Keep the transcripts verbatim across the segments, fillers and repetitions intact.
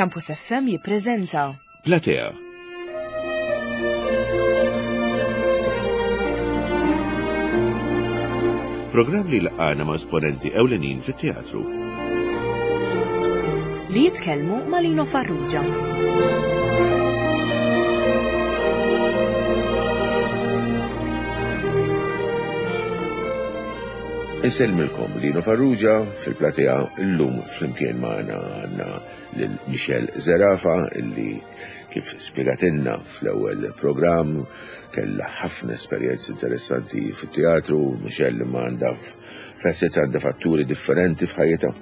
Campus F M jippreżenta Platea. Programm li laqana ma' esponenti ewlenin fit-teatru. Li jitkellmu ma' Lino Farrugia. Insellmilkom, Lino Farrugia fil-platea. Illum flimkien magħna għandna lil Michelle Zerafa, illi kif spiegatilna fl-ewwel programm kellha ħafna esperjenzi interessanti fit-teatru. Michelle ma għandha facets, għandha fatturi differenti f'ħajjitha.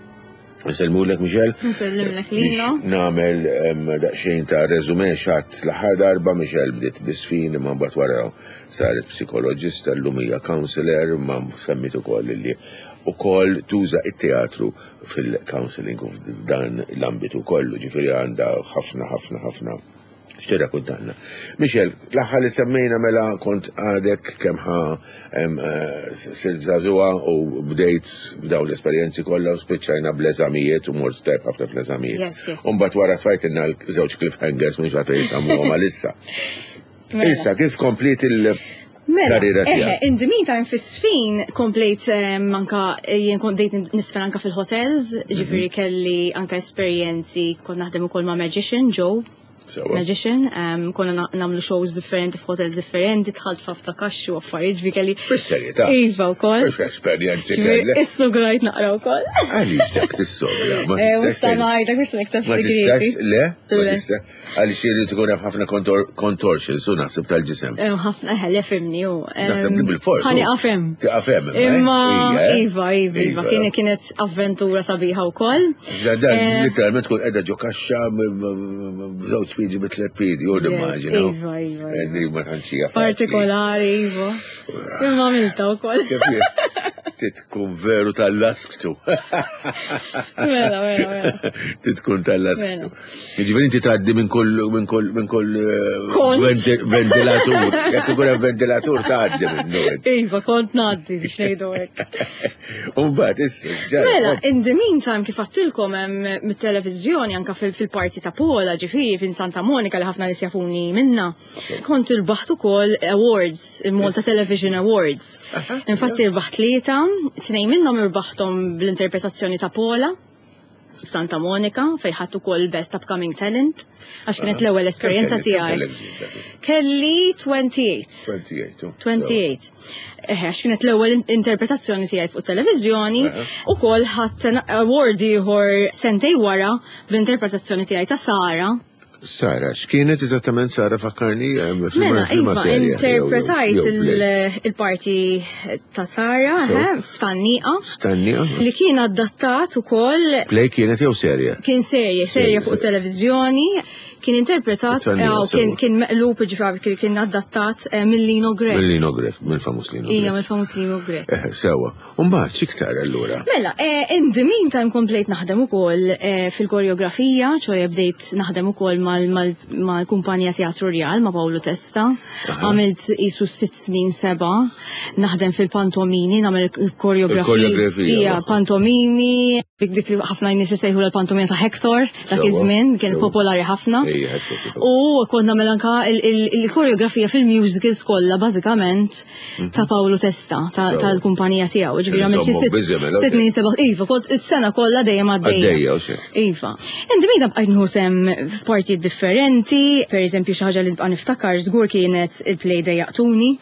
Nsellmulek, Michelle. Nsellimlek, Biex Lino. nagħmel em, daqsxejn ta' resume xat l-aħħar darba, Michelle bdiet bisfin, imma mbagħad wara saret psikoloġista, llum hija counselor, ma semmit ukoll li ukoll tuża it-teatru fil-counseling u f'dan l-ambitu kollu, ġifieri għandha ħafna ħafna ħafna x'tirrakkuntanna. Michelle, l-aħħar li semmejna mela kont għadek kemm ħa em, eh, sirt żagħżugħa u bdejt b'dawn l-esperjenzi kollha u spiċċajna bl-eżamijiet u mort tajb ħafna fl-eżamijiet. Yes, yes. U mbagħad wara tfajtilna l-żewġ cliffhangers, mhux għalfejn jisammuhom għalissa. Mela. Issa kif kompliet il- Mela, karriera eħe, tiegħek? In the meantime fis-sfin komplejt em, anka jien kont bdejt nisfen anka fil-hotels, ġifieri kelli anka esperjenzi, kont naħdem ukoll ma' magician, Joe. Sewa. Magician, um, konna na- nagħmlu shows differenti f'hotels differenti, dħalt f'ħafna kaxxi u affarijiet, ġifieri kelli. Bis-serjetà. Iva wkoll. Mhux esperjenzi Ġifieri kellek. Issugrajt naqra wkoll. Għaliex dak tissogra? Ma Eh, tistax Musta tgħid- ngħidlek biex nikteb Ma tistax, segreti. le? Ma Le. tistax. Għaliex irid ikun hemm ħafna contor- contortions u naħseb tal-ġisem. Eh, ħafna, eħe, le fimni u. Naħseb li bil-fors. Ħani qafem. Taqafem. Imma, iva, iva, iva, kien kienet avventura sabiħa wkoll. Dan Eh, literalment tkun qiegħda ġo kaxxa b'żewġ piedi, bi tliet piedi, u nimmaġina. Iva, iva, iva. Li ma tantx hija faċli. Partikolari, iva. Imma għamilta wkoll. Kif hi? Titkun veru tal-lasktu. Mela, mela, mela. Titkun tal-lasktu. Mela. Jiġifieri inti tgħaddi minn kull minn kull minn kull eh, Kont. venti- ventilatur. Jekk ikun hemm ventilatur tgħaddi minnu. int. Iva, kont ngħaddi biex ngħidu hekk. U mbagħad issa ġara. Mela, in the meantime, kif għattilkom hemm mit-televizjoni anka fil- fil-parti ta' Pola, ġifieri fin Santa Monica li ħafna nies jafuni minna, kont irbaħt ukoll awards, il-Malta Television Awards. Infatti irbaħt tlieta, tnejn minnhom irbaħthom bl-interpretazzjoni ta' Pola f'Santa Monica, fejn ħadt ukoll Best Upcoming Talent, għax kienet l-ewwel esperjenza tiegħi. Kelli twenty-eight. twenty-eight. oh. twenty-eight. Eħe, għax kienet l-ewwel interpretazzjoni tiegħi fuq televiżjoni, ukoll ħadd award ieħor sentej wara bl-interpretazzjoni tiegħi ta' Sara. Sara, x'kienet eżattament Sara, fakkarni eh, fil- Mela, fil- iva, serje, jew- interpretajt jew play. il- il-parti ta' Sara, So. eħe, f'Tgħanniqa, Stanni, li kien adattat ukoll. Play kienet jew serje? Kien serje, serje fuq serje. televiżjoni, kien interpretat, Tgħanniqa, eh, kien, sewa. kien meqlub, ġifieri kien- kien adattat eh, mill Lino Grech. Mill Lino Grech, mill-famuż Lino Ija, Grech. mill-famuż Lino Grech. Eh, sewa. Umbagħad x'iktar allura? Mela, eh, in the meantime komplejt naħdem ukoll eh, fil-koreografija, ċoħe bdejt naħdem ukoll mal-kumpanija Teatru Real ma' Paolo Testa. Għamilt qisu sitt snin seba, naħdem fil-pantomini, nagħmel koreografija. Il-koreografija, Ija, waħda. pantomimi, dik dik li ħafna nies isejħu l-pantomina ta' Hector, dak Sewa, iż-żmien, kien sewa. popolari ħafna. Ija, Hector, kif- U kont nagħmel anka il- il- il-koreografija fil-musicals kollha bażikament ta' Paolo Testa, ta- Sewa. tal-kumpanija tiegħu. Ġifieri għamilt xi Insomma, sitt busy, mela, sitt snin seba', iva, kont is-sena kollha dejjem għaddejja. Għaddejja, u xejn. Iva. Inti meta bqajt nieħu sem f'partijiet differenti, per eżempju xi ħaġa li nibqa' niftakar żgur kienet il-play Dejjaqtuni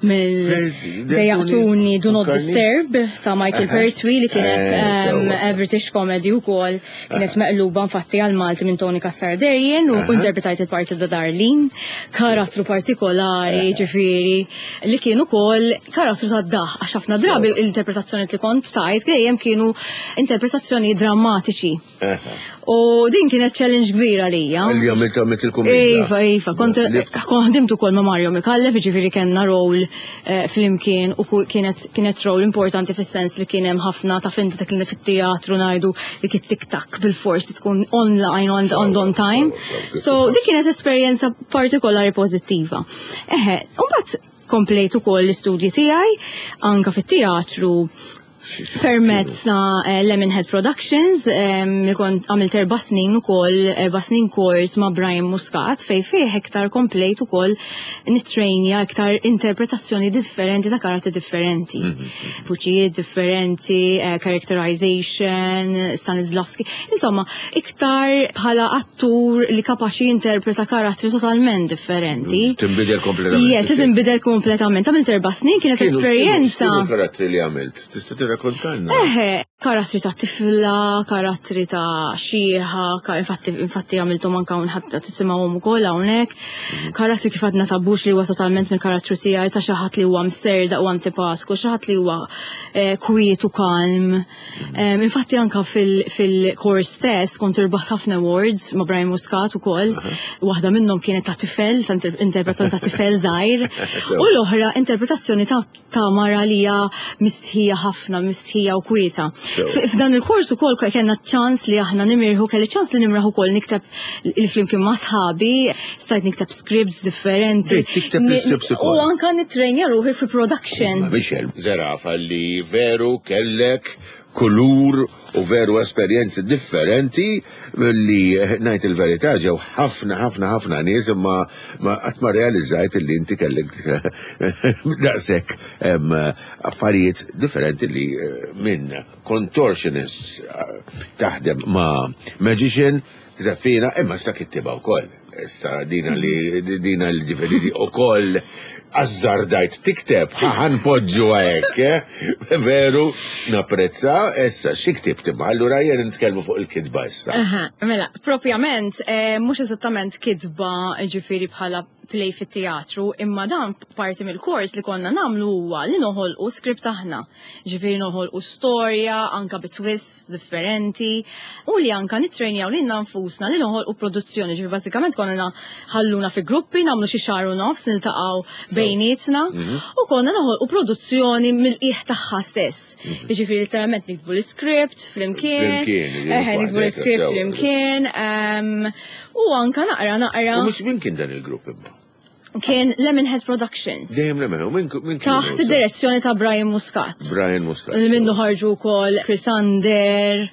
mill Play Dejjaqtuni, Do Not Fakkarni? Disturb ta' Michael Aha. Pertwee, li kienet Eh, um, sewa. a British comedy ukoll, kienet meqluba infatti għal Malti minn Tony Cassar Darien u interpretajt il-parti ta' Darlene, karattru partikolari, ġifieri, li kien ukoll karattru ta' daħ, għax ħafna drabi l-interpretazzjoni li kont tajt dejjem kienu interpretazzjoni drammatiċi. U din kienet challenge kbira lija. Li għamilt għamilt il-kumedja. Iva, iva, kont Li- kont ħdimt ukoll ma' Mario Micallef, ġifieri kellna role eh, flimkien u ku- kienet kienet role importanti fis-sens li kien hemm ħafna ta' finti ta' kien fit-teatru ngħidu li kien tik-tak bil-fors li tkun online on, on, on time. Sewa, sewa, So dik kienet esperjenza partikolari pożittiva. Eħe, u mbagħad komplejt ukoll l-istudji tiegħi anka fit-teatru. Permezz ta' eh, Lemonhead Productions, em, li kont għamilt erba' snin ukoll, erba' snin kors ma' Brian Muscat, fej fih iktar komplejt ukoll nittrejnja iktar interpretazzjoni differenti ta' karattri differenti. Vuċijiet differenti, eh, characterization, Stanislavski, insomma, iktar bħala attur li kapaċi jinterpreta karattri totalment differenti. Tinbidel kompletament. Yes, li tinbidel kompletament. Għamilt erba' snin, kienet X'kienu- esperjenza. x'kienu karattri li għamilt? Tista' tirrakkontalna? Eħe, karattri ta' tifla, karattri ta' xieħa, ka- infatti, infatti għamiltom anka unħatta tisimgħuhom ukoll hawnhekk. Karattri kif għadna ta' Bush li huwa totalment mill-karattru tiegħi ta' xi ħadd li huwa mserda u antipatku, xi ħadd li huwa eh, kwiet u kalm. Em, Infatti anka fil- fil-kors stess kont irbaħt ħafna awards ma' Brian Muscat ukoll. Waħda minnhom kienet ta' tifel, ta' inter- interpretazzjoni ta' tifel żgħir. U l-oħra interpretazzjoni ta' ta' mara li hija mistħija ħafna, mistħija u kwieta. F- F'dan il-kors ukoll kellna ċans li aħna nimirħu, kelli ċans li nimraħ ukoll nikteb il-flimkien ma' sħabi, stajt nikteb scripts differenti. Bdejt tikteb l-scripts ukoll. U anka nittrejnja ruħi fi production. Ma Michel, Zerafa li veru kellek kulur u veru esperjenzi differenti li ngħid il-verità ġew ħafna ħafna ħafna nies imma ma qatt ma realizzajt li inti kellek daqshekk em, affarijiet differenti li eh, minn contortionist eh, taħdem ma' magician żeffina imma issa kittiba wkoll. Issa dina li dina li ġifieri ukoll azzardajt tikteb, ħa npoġġu hekk, eh? Veru, napprezza, issa xi ktibt imma, allura jien nitkellmu fuq il-kitba issa. Aha, mela, propjament, eh, mhux eżattament kitba ġifieri bħala play fit-teatru, imma dan parti mill-kors li konna nagħmlu huwa li noħolqu script aħna. Ġifieri noħolqu storja, anka bi twists differenti, u li anka nittrejnjaw lilna nfusna li noħolqu produzzjoni. Ġifieri bażikament konna ħalluna fi gruppi, nagħmlu xi xahar u nofs, niltaqgħu bejnietna, u konna noħolqu produzzjoni mill-qiegħ tagħha stess. Ġifieri literalment niktbu l-script flimkien, Flimkien, ġifieri eħe, niktbu waħdek, l-script sew. flimkien, em, u anka naqra naqra U mhux min kien dan il-grupp imma? kien Lemonhead Productions. Dejjem Lemon, u min min kien? Taħt id-direzzjoni ta' Brian Muscat. Brian Muscat. Li minnu ħarġu wkoll Chris Ander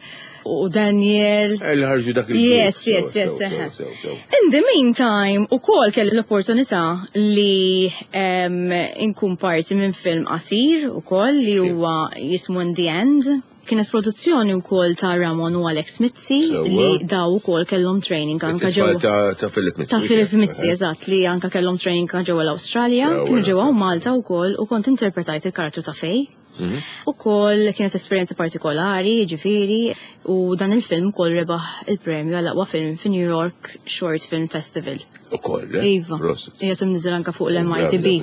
u Daniel. Eh, Li ħarġu dak il-grupp. Yes, yes, Sew, yes, sew, eħe. sew, sew. In the meantime, u kol kelli l-opportunità li um, inkun parti minn film qasir u kol li huwa jismu In the End. Kienet produzzjoni u kol ta' Ramon u Alex Mizzi Sewwa. li daw u kol kellhom training anka It-tfal ġew ta' ta' Philip Mizzi. ta' Philip Mizzi, eżatt, li anka kellhom training anka ġewwa l-Awstralja, Sewwa, kienu ġewwa sewwa. Malta wkoll u kont interpretajt il-karattru ta' Fej. Mhm. U kol kienet esperjenza partikolari, ġifieri, u dan il-film kol rebaħ il-premju għal aqwa film fi New York Short Film Festival. U koll, eh? Iva. Prosit. Hija tinniżel anka fuq l-M I T B.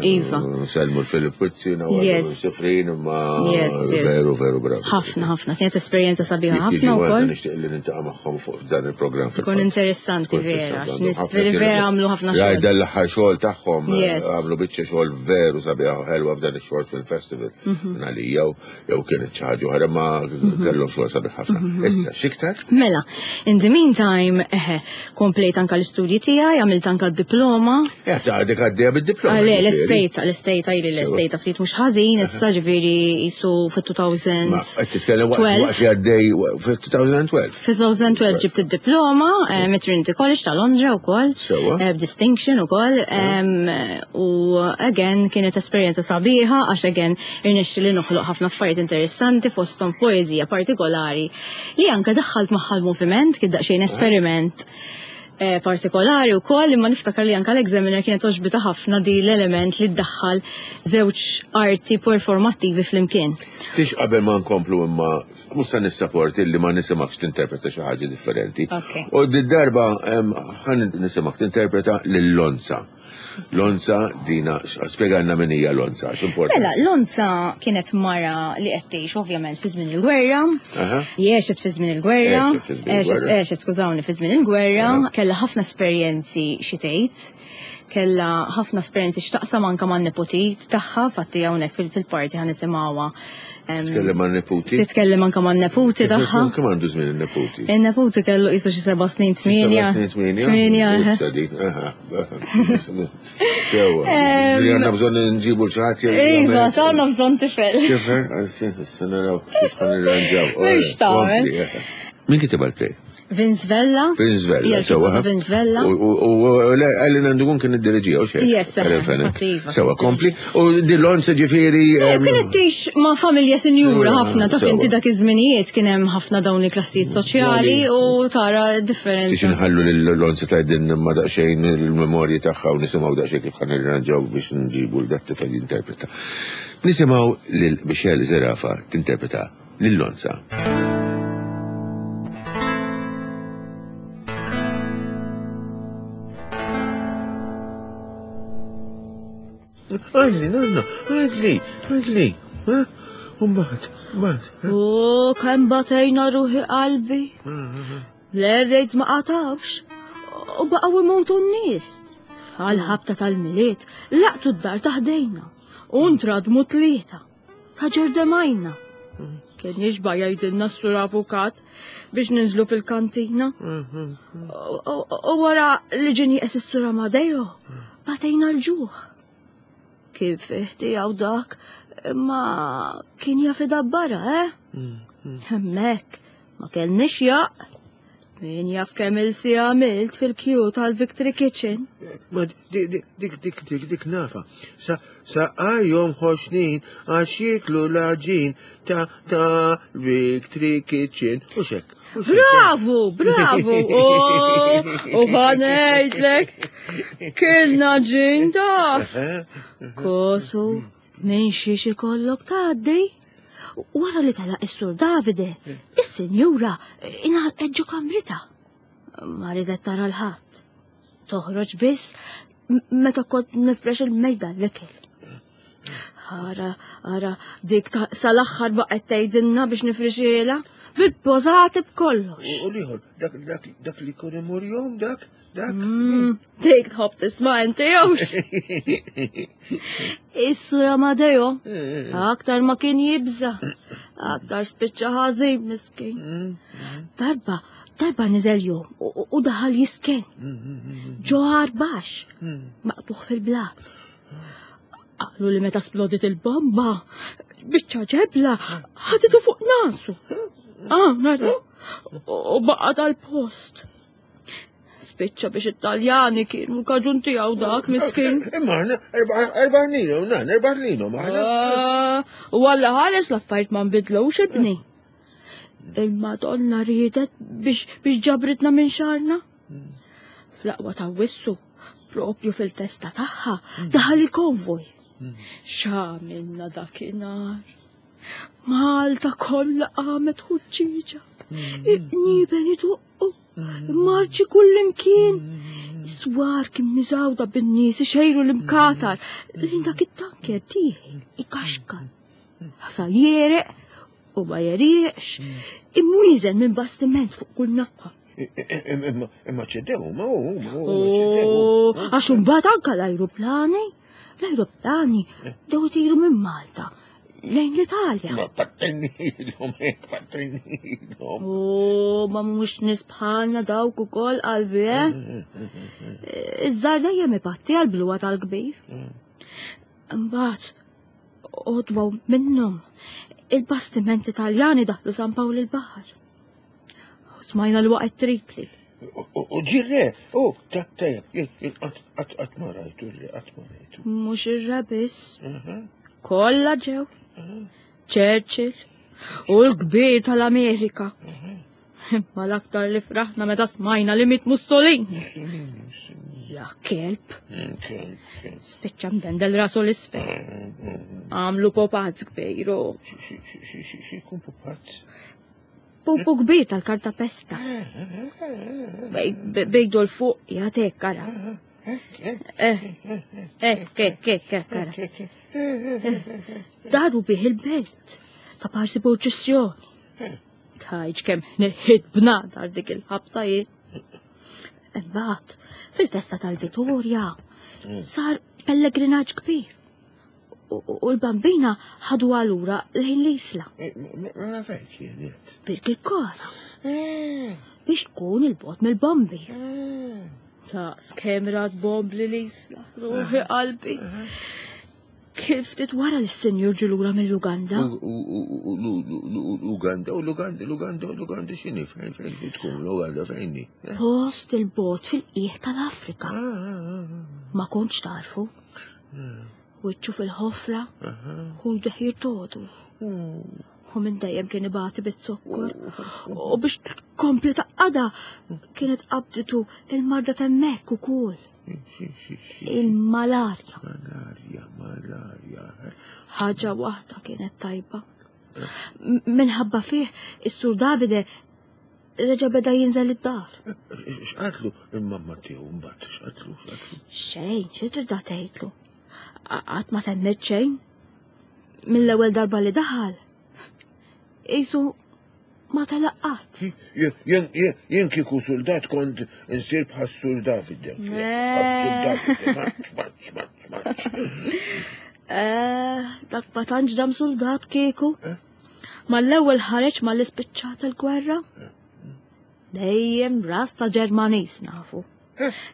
Iva. Sellmu l-Philip Mizzi, nawar Yes. Sifrin, imma Yes, yes. veru, veru bravi. Ħafna, ħafna. Kienet esperjenza sabiħa Jekk ħafna jiġi wkoll. Nixtieq li niltaqa' magħhom fuq dan il-programm. Ikun interessanti vera, għax nies vera għamlu ħafna Rajt xogħol. dan l-aħħar xogħol tagħhom, eh, Yes. għamlu biċċa xogħol veru sabiħa u ħelwa f'dan ix-Short Film Festival. Mhm. Għalija jew jew kienet xi ħaġa oħra ma kellhom xogħol sabiħ ħafna. Mhm. Issa x'iktar? Mela, in the meantime, eħe, komplejt anka l-istudji tiegħi, għamilt anka d-diploma. Ja, ta' għadek għaddejja bid-diploma. Ah, le, ġifieri. l-estejta, l-estejta, ili l-estejta ftit mhux ħażin, issa ġifieri jisu fit-elfejn u tnax. Ma qed titkellem waqt waqt li għaddej fit-elfejn u tnax. Fi elfejn u tnax ġibt id-diploma eh, mit Trinity College ta' Londra wkoll, Sewwa. eh, b'distinction ukoll, em, u again kienet esperjenza sabiħa għax again irnexxi li noħloq ħafna affarijiet interessanti fosthom poeżija partikolari li anke daħħalt magħha l-moviment kien daqsxejn esperiment eh, partikolari u koll, imma niftakar li anka l-examiner kienet għoġbitha ħafna di l-element li ddaħħal żewġ arti performattivi flimkien. Tix qabel ma nkomplu imma musta nissapporti li ma nisimgħekx tinterpreta xi ħaġa differenti. Ok. U d-darba em, ħa nisimgħek tinterpreta lil Lonza. Lonza dina, spjegalna min hija Lonza, x'importanti. Mela, Lonza kienet mara li qed tgħix ovvjament fi żmien il-gwerra. Aha. Għexet fi żmien il-gwerra. Għexet fi żmien Għexet, il-gwerra. għexet, skużawni, fi żmien il-gwerra. Aha. Kellha ħafna esperjenzi xi tgħid. Kella ħafna esperjenzi x'taqsam anke man-neputi tagħha, fatti hawnhekk fil-parti ħa nisimgħuha. Titkellem man-neputi? Titkellem anke man-neputi tagħha. Kemm għandu żmien in-neputi? In-neputi kellu qisu xi seba' snin tmienja. Seba' snin tmienja? Tmienja. Sewwa. Għandna bżonn nġibu xi ħadd. Iva, għandna bżonn tifel. Tifel, issa naraw kif ħa nirranġaw. Mhux tagħmel. Min kiteb għall-play? Vince Vella. Vince Vella, sewa. Vince Vella. U Ellen Andugun kien id-diriġija, u xejn. Yes, Sewa, kompli. U Dillon se ġifieri. Kienet tgħix ma' familja sinjura ħafna, taf inti dak iż-żminijiet kien hemm ħafna dawn il-klassijiet soċjali u tara differenza. Biex inħallu lil Lonza tgħidilna ma daqsxejn il-memorji tagħha u nisimgħu daqsxejn kif ħa nirranġaw biex nġibu l dat tifel jinterpreta. Nisimgħu lil Michelle Zerafa tinterpreta lil Lonza. Għadli, nanna, għadli, għadli, Umbat, umbat. U kem batejna ruħi qalbi. L-errejt ma qatawx. U baqgħu imutu n-nies. Għal-ħabta tal-Milied, laqtu d-dar taħdejna. U ntradmu tlieta. Ta' ġerdemajna. Kien jixba' jgħidilna s-sur avukat biex ninżlu fil-kantina. U wara li ġie nieqes is-sur Amadeo, batejna l-ġuħ. Kif tiegħu dak, ma kien jaf idabbara, eh? Hemmhekk ma kellniex jaq. Min jaf kemm il-si għamilt fil-kju tal-Victory Kitchen. Ma dik dik dik dik dik nafa. Sa saqajhom ħoxnin għax jieklu l-għaġin ta' ta' Victory Kitchen. U xek. Bravo, bravo! U ħanejtlek, kilna ġin taf. Kosu, minn xiex ikollok tgħaddi. Wara li telaq is-sur Davide, is-sinjura ingħalqet ġo kamrita. Ma ridet tara l-ħadd. Toħroġ biss meta kont nifrex il-mejda l-ikel. Ara, ara, dik sal-aħħar baqgħet tgħidilna biex nifrixilha. Bil-pożati b'kollox. U liħor, dak dak dak li kun imur jom, dak, dak. Dik tħobb tisma' inti jewx. Is-sur Amadeo, aktar ma kien jibża, aktar spiċċa ħażin miskin. Darba, darba niżel jum u daħal jisken. Ġoħar baxx, maqtuħ fil-blat. Qalu li meta splodit il-bomba, biċċa ġebla ħaditu fuq nasu. Ah, nara, u baqa tal-post. Spiċċa biex it-Taljani kienu l-kaġun tiegħu dak miskin. Imma aħna erba' ħnilhom, nan, erba' ħnilhom aħna. U Alla ħares l-affarijiet ma nbidlux ibni. Il-Madonna riedet biex biex ġabritna minn xarna. Fl-aqwa ta' wissu, propju fil-festa tagħha, daħal il-konvoj. X'għamilna dakinhar? Malta kollha qamet ħuġġieġa. Iqniben iduqqu, marċi kullimkien. Swar kien miżawda bin-nies ixejru l-imkatar. Lejn dak it-tanker dieħel ikaxkar. Ħasa jereq u ma jerieqx, imwieżen minn bastiment fuq kull naħa. Imma ċedew, ma hu, ma hu, ċedew. Għax imbagħad anke l-ajruplani, l-ajruplani dew itiru minn Malta lejn l-Italja. Ma pattinilhom, hekk pattinilhom. U ma mhux nies bħalna dawk ukoll qalbi, eh? Iż-żgħar dejjem ipatti għall-bluwa tal-kbir. Imbagħad għodwa minnhom il-bastimenti Taljani daħlu San Pawl il-Baħar. U smajna l-waqgħet Tripli. U ġirre, u ta' tajjeb, qatt ma rajtu, qatt ma rajtu. Mhux ir-re biss. Kollha ġew. Churchill u l-kbir tal-Amerika. Imma l-aktar li fraħna meta smajna li miet Mussolini. Ja kelb. Spiċċa mdendel rasu l-isfel. Għamlu popazz kbir. Xi jkun popazz? Pupu kbir tal-karta pesta. Bejdu l-fuq jagħtek ara. Eh, eh, ek, ek, ara. Daru bih il-belt ta' parsi purċissjoni. Tajġ kemm neħid bnadar dik il-ħabta jien. Imbagħad fil-festa tal-Vittorja Sar pellegrinaġġ kbir. U l-bambina ħadu għalura lejn l-isla. Mela fejn kienet? Birkirkara. Biex tkun il-bot mill-bombi. Ta' skemrat bombli l-isla, ruħi qalbi. Kif ftit wara li s-senjur ġulura mill-Uganda? L-Uganda, u l-Uganda, l-Uganda, l-Uganda x'inhi fejn fejn tkun l-Uganda fejn hi? Post il-bot fil-qiegħ tal-Afrika. Ma kontx tarfu. Wiċċu fil-ħofra, u jdeħ jirtodu. U minn dejjem kien ibati bit-zokkor. U biex tkompli taqada kienet qabditu il-marda t'hemmhekk ukoll. Il-malarja. Malarja, malarja. Ħaġa waħda kienet tajba. Minħabba fih is-Sur Davide reġa' beda jinżel id-dar. X'qatlu il-mamma tiegħu mbagħad, x'qatlu, x'qatlu? Xejn, xi tridha tgħidlu? Qatt ma semmet xejn. Mill-ewwel darba li daħal. Isu ma telaqat. Jien kieku soldat kont insir bħas-Sur Davide. Bħas-Sur Davide, marċ, marċ, marċ, marċ. Dak ma tantx dam soldat kieku. Mal-ewwel ħareġ mal-ispiċċata l-gwerra. Dejjem ras ta' Ġermaniż nafu.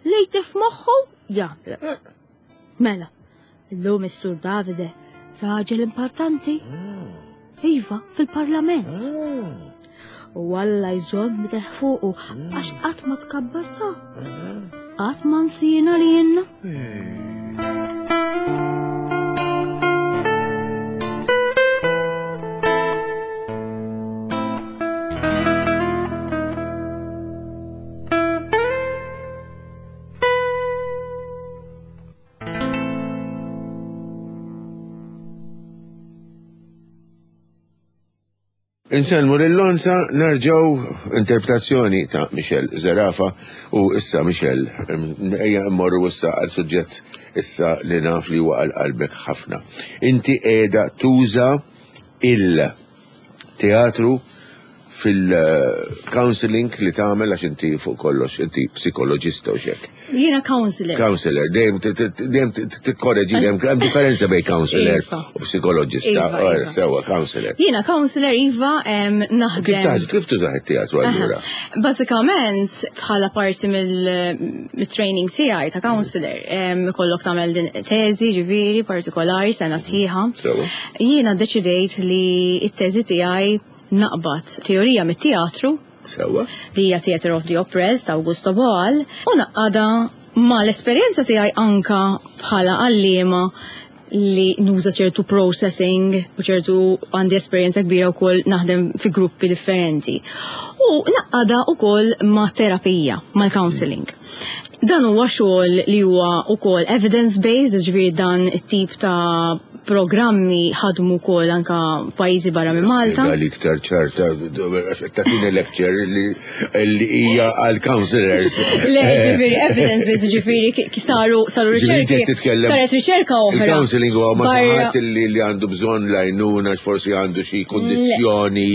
Li jtif moħħu jagħmel. Mela, illum is-Sur Davide raġel importanti. Iva, fil-parlament. U Alla jżomm deħ fuqu għax qatt ma tkabbarta. Qatt ma nsina li jenna. Insellmu lil-Lonza, nerġgħu interpretazzjoni ta' Michelle Zerafa u issa Michelle, ejja mmorru issa għal suġġett issa li naf li huwa għal qalbek ħafna. Inti qiegħda tuża il-teatru fil-counseling li tagħmel għax inti fuq kollox, inti psikoloġista u xek. Jiena counselor. Counselor, dejjem dejjem tikkorreġi dejjem hemm differenza bejn counselor u psikoloġista. Sewwa, counselor. Jiena counselor iva naħdem. Kif taħdem, kif tużaħ it-teatru allura? Bażikament bħala parti mill-training tiegħi ta' counselor, ikollok tagħmel din teżi ġifieri partikolari sena sħiħa. Jiena ddeċidejt li t-teżi tiegħi naqbad teorija mit-teatru. Sewwa. Li hija Theatre of the Oppressed ta' Augusto Boal u naqada ma l-esperjenza tiegħi anka bħala għalliema li nuża ċertu processing u ċertu għandi esperjenza kbira wkoll naħdem fi gruppi differenti. U naqada wkoll ma' terapija, mal-counseling. Dan huwa xogħol li huwa wkoll evidence-based, ġifieri dan it-tip ta' programmi ħadmu wkoll anka pajjiżi barra minn Malta. Għal iktar ċarta, tagħtina lecture li hija għal counselors. Le, ġifieri evidence-based, ġifieri saru saru riċerki. Saret riċerka oħra. Il-counseling huwa ma' ħadd li għandu bżonn lajnuna, forsi għandu xi kundizzjoni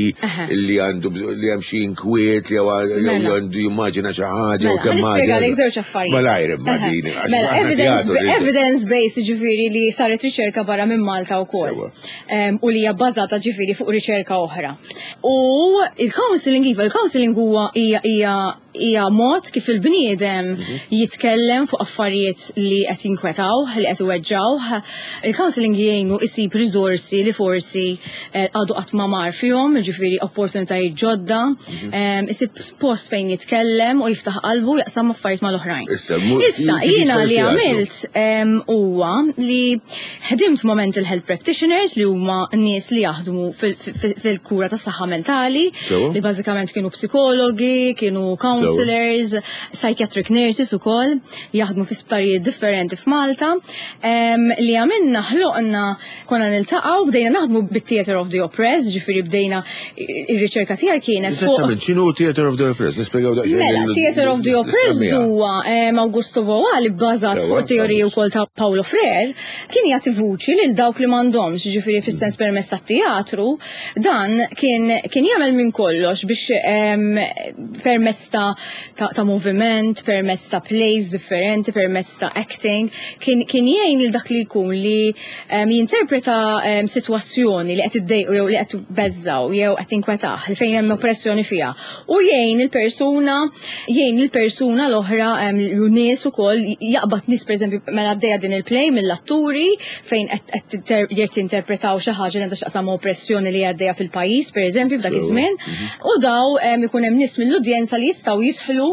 li għandu li hemm xi inkwiet li għandu jimmaġina xi ħaġa u kemm Nispjegalek żewġ affarijiet. Malajr imma din. Mela, evidence-based ġifieri li saret riċerka barra minn Malta wkoll. U li hija bbażata ġifieri fuq riċerka oħra. U il-counseling iva, il-counseling huwa hija hija mod kif il-bniedem jitkellem fuq affarijiet li qed jinkwetawh, li qed iweġġawh. Il-counseling jgħinu isib riżorsi li forsi għadu qatt ma mar fihom, ġifieri opportunitajiet ġodda, isib post fejn jitkellem u jiftaħ qalbu jaqsam affarijiet mal-oħrajn. Issa jiena li għamilt huwa li ħdimt ma' mental health practitioners li huma nies li jaħdmu fil-kura tas-saħħa mentali, li bażikament kienu psikologi, kienu counselors, psychiatric nurses ukoll, jaħdmu fi sptarijiet differenti f'Malta, li għamilna ħloqna konna niltaqgħu bdejna naħdmu bit-Theatre of the Oppressed, ġifieri bdejna ir-riċerka tiegħi kienet fuq. Eżattament, x'inhu Theatre of the Oppressed? Nispjegaw daqsxejn. Mela, Theatre of the Oppressed huwa Augusto Boal bbażat fuq teoriji wkoll ta' Paulo Freire, kien jagħti vuċi lil dawk li m'għandhomx, ġifieri fis-sens permezz tat-teatru, dan kien kien jagħmel minn kollox biex em, permezz ta', ta, ta' moviment, permezz ta' plays differenti, permezz ta' acting, kien, kien jgħin lil dak li jkun li em, jinterpreta em, sitwazzjoni li qed iddejqu jew li qed beżżaw jew qed tinkwetah li fejn hemm oppressjoni fiha. U jgħin il-persuna, jgħin il-persuna l-oħra em, u nies ukoll jaqbad nies, pereżempju, mela għaddejja din il-play mill-atturi fejn qed qed tinter- qed jinterpretaw xi ħaġa li għandha x'taqsam ma' oppressjoni li għaddejja fil-pajjiż, pereżempju, f'dak iż-żmien. U daw em, ikun hemm nies mill-udjenza li jistgħu jidħlu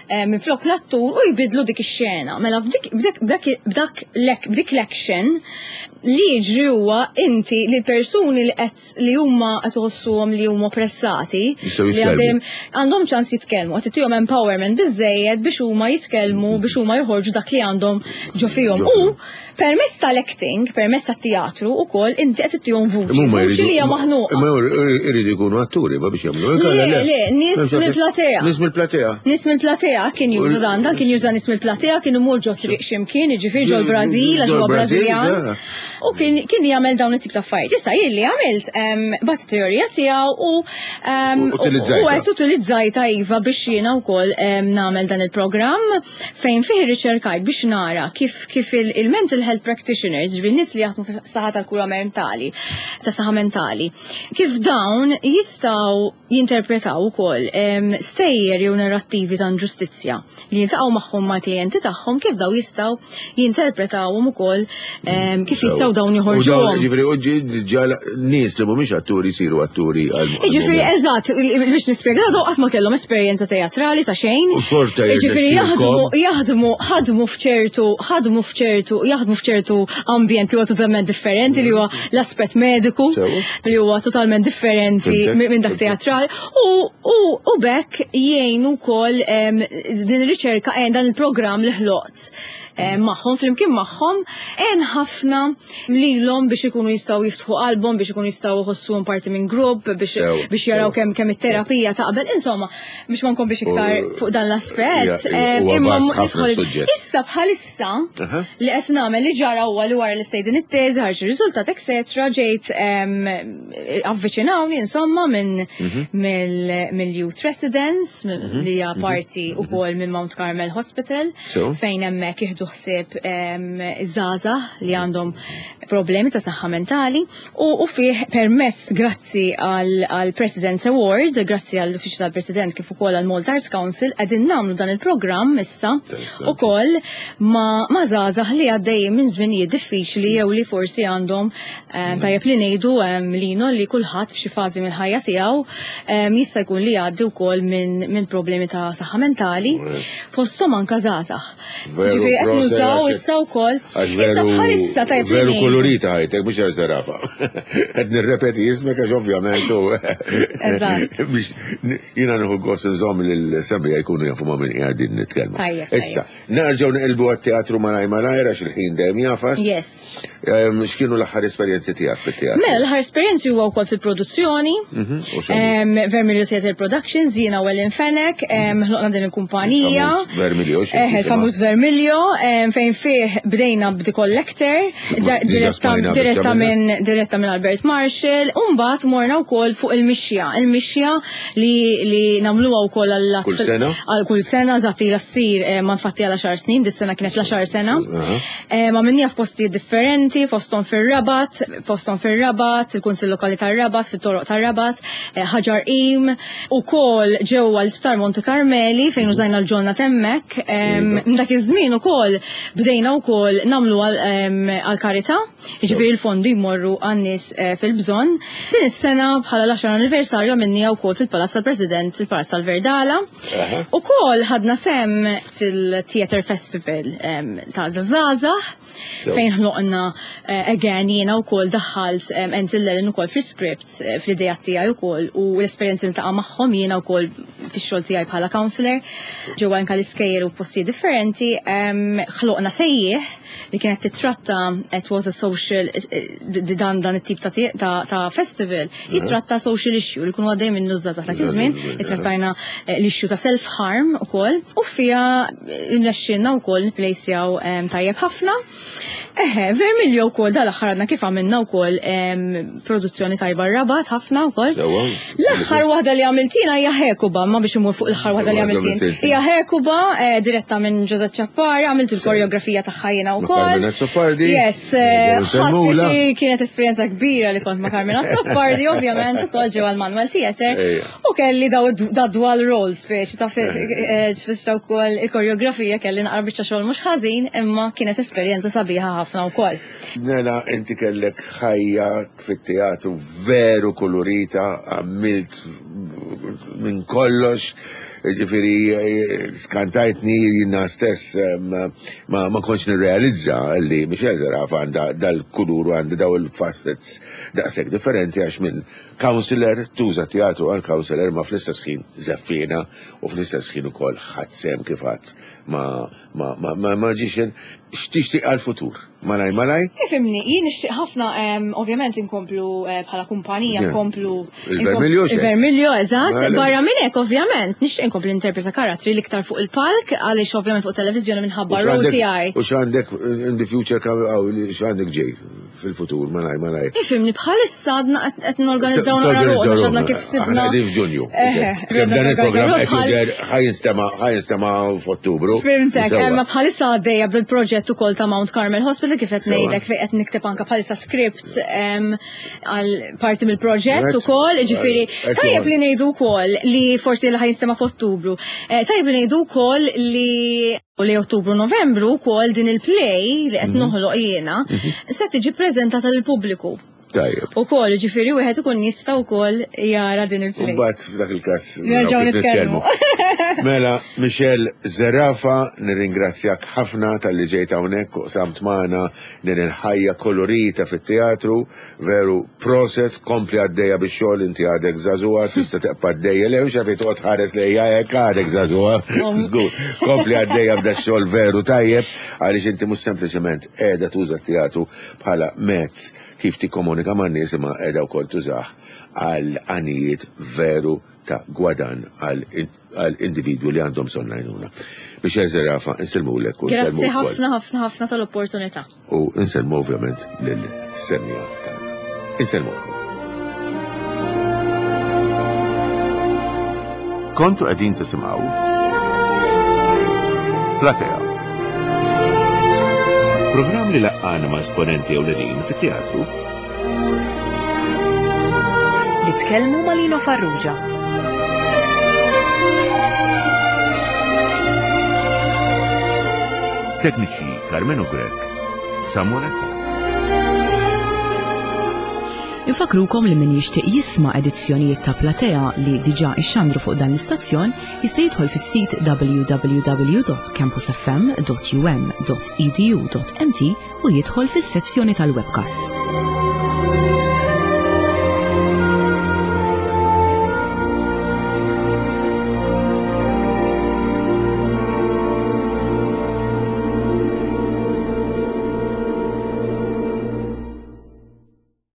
em, minflok l-attur u jbidlu dik ix-xena. Mela b'dik b'dik b'dak b'dak l- b'dik l-action li jiġri huwa inti li persuni li qed li huma qed iħossuhom li huma oppressati Jistgħu li jitkellmu. għandhom għandhom ċans jitkellmu, qed ittihom empowerment biżejjed biex huma jitkellmu, biex huma joħorġu dak li għandhom ġo fihom. Ġo U fihom. permezz tal-acting, permezz tat-teatru ukoll inti qed ittihom vuċi, Imma vuċi li hija maħnuqa. Imma jridu jkunu atturi, ma biex jagħmlu. Le, le, nies mill-platea. Nies mill-platea. Nies mill-platea kien juża dan, dan kien juża nies mill-platea, kien imur ġo triq x'imkien, jiġifieri ġol Brażil, għax huwa Ġol Brażil, Brażiljan. ja. U kien kien jagħmel dawn it-tip ta' affarijiet. Issa jien li għamilt em, bat teorija tiegħu u em, U utilizzajtha. u qed utilizzajta iva biex jiena wkoll em, nagħmel dan il-programm fejn fih irriċerkajt biex nara kif kif il- il-mental health practitioners, ġifieri nies li jaħdmu fis-saħħa tal-kura mentali, ta' saħħa mentali, kif dawn jistgħu jinterpretaw ukoll em, stejjer jew narrattivi ta' inġustizzja li jiltaqgħu magħhom mal-klijenti tagħhom, kif daw jistgħu jinterpretawhom ukoll em, kif jistgħu dawn U dawn, joħorġuhom. Ġifieri, u ġi- ġala nies li mhumiex atturi jsiru atturi għal. Ġifieri, eżatt, biex nispjega, daw qatt ma kellhom esperjenza teatrali ta' xejn. U xorta Ġifieri jaħdmu jirnexxielkom. jaħdmu ħadmu f'ċertu ħadmu f'ċertu jaħdmu f'ċertu ambjent li huwa totalment differenti, li huwa l-aspett mediku, Sewa. li huwa totalment differenti Fhimtek, minn minn dak fhimtek. teatrali u u u bekk jgħinu wkoll em, din ir-riċerka eh, dan il-programm li ħloqt em, magħhom, flimkien magħhom, għen ħafna lilhom biex ikunu jistgħu jiftħu qalbhom, biex ikunu jistgħu jħossuhom parti minn grupp, biex Sew, biex jaraw sew. kemm kemm it-terapija taqbel, insomma, biex ma nkomplix iktar U- fuq dan l-aspett. Ja, em, huwa imma vast ħafna nidħol- suġġett. Issa bħalissa Aha. li qed nagħmel, li ġara huwa li wara li stejt din it-teżi, ħarġ ir-riżultat, etc., ġejt em, avviċinawni insomma minn Mhm. mill mill-Youth Residence li hija parti ukoll minn Mount Carmel Hospital So? fejn hemmhekk jieħdu ħsieb em, żgħażagħ li għandhom problemi ta' saħħa mentali u, u fih permezz, grazzi għal għal President's Award, grazzi għall uffiċċju tal-President kif ukoll għal Malta Arts Council, qegħdin nagħmlu dan il-programm issa Interessanti. ukoll ma' ma' żgħażagħ li għaddejjin minn żminijiet diffiċli jew li forsi għandhom em, tajjeb li ngħidu em, lino li kulħadd f'xi fażi mill-ħajja tiegħu em, jista' jkun li jgħaddi wkoll minn min problemi ta' saħħa mentali, fosthom anke żgħażagħ. Veru, Ġifieri qed proset, nużaw għax- issa wkoll. Għax Issa veru, bħalissa tajjeb li veru ngħidu. kolorita ħajtek, mhux għal zarafa. Qed nirrepeti ismek għax ovvjament u. Eżatt. Biex jiena nieħu gost nżomm lil-semmiegħa jkunu jafu ma' min qegħdin nitkellmu. Tajjeb, Issa, nerġgħu neqilbu għat-teatru malaj malajr għax il-ħin dejjem jagħfas. Yes. Em, X'kienu l-aħħar esperjenzi tiegħek fit-teatru? Mela, l-aħħar esperjenzi huwa wkoll fil-produzzjoni. Mhm, u x'għamil? Em, Vermilio Theatre Productions, jiena u Ellen Fenech, em, ħloqna din il-kumpanija. Il-famuż Vermilio, xi Eh, titema? il-famuż Vermilio, em, fejn fih bdejna b'The Collector, da- Diġà diretta smajna diretta biċċa minna. minn diretta minn Albert Marshall, u mbagħad morna wkoll fuq il-mixja, il-mixja li li nagħmluha wkoll għall Kull sena? Għal kull sena, eżatt, ilha ssir eh, ma infatti għal għaxar snin, dis-sena kienet l-għaxar sena. Aha. Eh, Ma minnija f'postijiet differenti, fosthom fir-Rabat, fosthom fir-Rabat, il-Kunsill Lokali tar-Rabat, fit-toroq tar-Rabat, eh, Ħaġar Qim, ukoll ġewwa l-Isptar Monte Carmeli fejn użajna l-ġonna t'hemmhekk. Em, Iva. Minn dak iż-żmien ukoll bdejna wkoll nagħmlu għal em, għal karità, jiġifieri l-fondi jmorru għan-nies eh, fil-bżonn. Din is-sena bħala l-għaxar anniversarju għamilniha wkoll fil-Palazz tal-President, il-Palazz tal-Verdala. Aha. Ukoll ħadna sehem fil-Theatre Festival em, ta' Żgħażagħ So. fejn ħloqna eh, again jiena wkoll daħħalt um, Entil Ellen ukoll fl-script, eh, fl-idea tiegħi wkoll u l-esperjenzi li taqa' magħhom jiena wkoll fix-xogħol tiegħi bħala counselor ġewwa anke l-iskejjel u postijiet differenti, em, ħloqna Sejjieħ li kienet titratta, it was a social eh, d- dan dan it-tip ta' ta' ta' festival jitratta social issue li kunu għaddej minnu żgħażagħ dak iż-żmien, ittrattajna eh, l-issue ta' self-harm ukoll u fiha rnexxielna wkoll nipplejsjaw em, tajjeb ħafna. Eħe, Vermilio wkoll dal-aħħar għadna kif għamilna wkoll produzzjoni tajba Rabat ħafna wkoll. L-aħħar waħda li għamiltina hija Hekuba, ma biex imur fuq l-aħħar waħda li għamiltin. Hija Hekuba, eh, diretta minn Joseph Ciappara, għamilt il-koreografija tagħha jiena wkoll. Carmen Azzopardi. Yes, eh, ħadd kienet esperjenza kbira li kont ma' Carmen Azzopardi, ovvjament ukoll ġewwa l-Manuel Theatre. U kelli daw da dual roles speċi ta' ċfista eh, wkoll il-koreografija kelli naqra biċċa xogħol mhux ħażin, imma kienet esperjenza sabiħa ħafna wkoll. Nela, inti kellek ħajja fit-teatru veru kolorita, għamilt minn kollox, ġifiri skantajtni jina stess ma, ma kontx nirrealizza li Michelle Zerafa għandha dal-kulur u għandha daw il-facets daqshekk differenti għax minn counselor tuża teatru għal counselor ma fl-istess ħin żeffiena u fl-istess ħin ukoll ħadd sehem kif ħadd ma ma ma ma magician x'tixtieq għall-futur. Malaj malaj? Ifhimni, jien nixtieq ħafna ovvjament inkomplu bħala kumpanija nkomplu Il-Vermilio. Il-Vermilio, eżatt. Barra minn hekk ovvjament nixtieq inkompli interpreta karattri l-iktar fuq il-palk għaliex ovvjament fuq televiżjoni minħabba role tiegħi. U x'għandek in the future x'għandek ġej fil-futur malaj malaj. Ifhimni, bħalissa għadna qed norganizzaw naqra ruħna x'għadna kif sibna. Aħna qegħdin f'Ġunju. Dan il-programm qed jidher ħa jinstema' ħa jinstema' f'Ottubru. Fhimtek, imma bħalissa għaddejja bil-proġett ukoll ta' Mount Carmel Hospital kif qed ngħidlek fejn qed nikteb anke bħalissa script għal parti mill-proġett ukoll, jiġifieri tajjeb li ngħidu wkoll li forsi li ħa jinstema' f'Ottubru. Tajjeb li ngħidu wkoll li li Ottubru Novembru wkoll din il-play li qed noħloq jiena se tiġi preżentata lill-pubbliku. Tajjeb. Ukoll, ġifieri wieħed ikun jista' wkoll jara din il-play. Mbagħad f'dak il-każ nerġgħu nitkellmu. Mela, Michelle Zerafa, nirringrazzjak ħafna talli ġejt hawnhekk u qsamt magħna din il-ħajja kolorita fit-teatru, veru proset, kompli għaddejja bix-xogħol, inti għadek żagħżugħa, tista' tibqa' għaddejja, le mhux għalfejn toqgħod ħares lejja hekk għadek żagħżugħa. Żgur, kompli għaddejja b'da x-xogħol veru tajjeb, għaliex inti mhux sempliċement qiegħda tuża t-teatru bħala mezz kif tikkomunika man nies imma qiegħda wkoll tużah għal għanijiet veru ta' gwadan għal individwu li għandhom bżonn għajnuna. Michelle Zerafa, insellmulek u Grazzi ħafna ħafna ħafna tal-opportunità. U insellmu ovvjament lil-semmiegħa tagħna. Insellmukom. Kontu qegħdin tisimgħu Platea. Programm li laqqana ma' esponenti ewlenin fit-teatru li tkellmu ma' Lino Farrugia. Tekniċi Carmenu Grech, Samuel Attard. Infakrukom li min jixtieq jisma' edizzjonijiet ta' Platea li diġà ixxandru fuq dan l-istazzjon jista' jidħol fis-sit w w w dot campus f m dot u m dot e d u dot m t u jidħol fis-sezzjoni tal-webcasts.